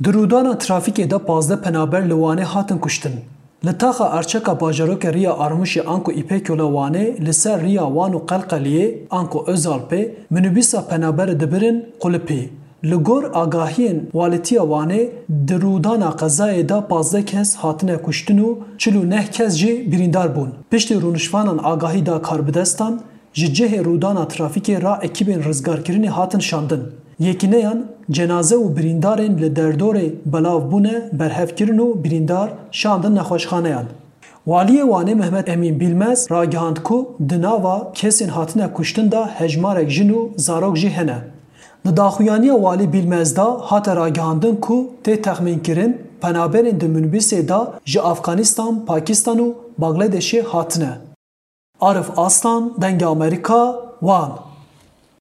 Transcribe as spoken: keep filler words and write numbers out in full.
Di rûdana trafîkê de pazdeh penaber li Wanê hatin kuştin. Li taxa Arçeka bajarokê Riya Armûşê anku Îpekyola Wanê li ser riya Wan û Qelqeliyê anku Özalpê minibîsa penaberê dibirin qulipî. Li gor agahiyên Walîtiya Wanê di rûdana qezayê de pazdeh kes hatine kuştin û çil û neh kes jî birîndar bûn. Piştî rûnişvanan agahî da karbidestan, ji cihê rûdana trafîkê ra ekîbên rizgarkirinê hatin şandin. Yekîneyan cenaze û birîndarên li derdorê belav bûne berhev kirin û birîndar şandin nexweşxaneyan. Waliyê Wanê Mehmet Emîn Bîlmez ragihand ku di nava kesên hatine kuştin de hejmarek jin û zarok jî hene. Di daxuyaniya Walî Bîlmez de hate ragihandin ku tê texmînkirin penaberên di minibîsê de ji Afganistan, Pakistan û Bangladêşê hatine. Arif Aslan, Dengê Amerîka, Wan.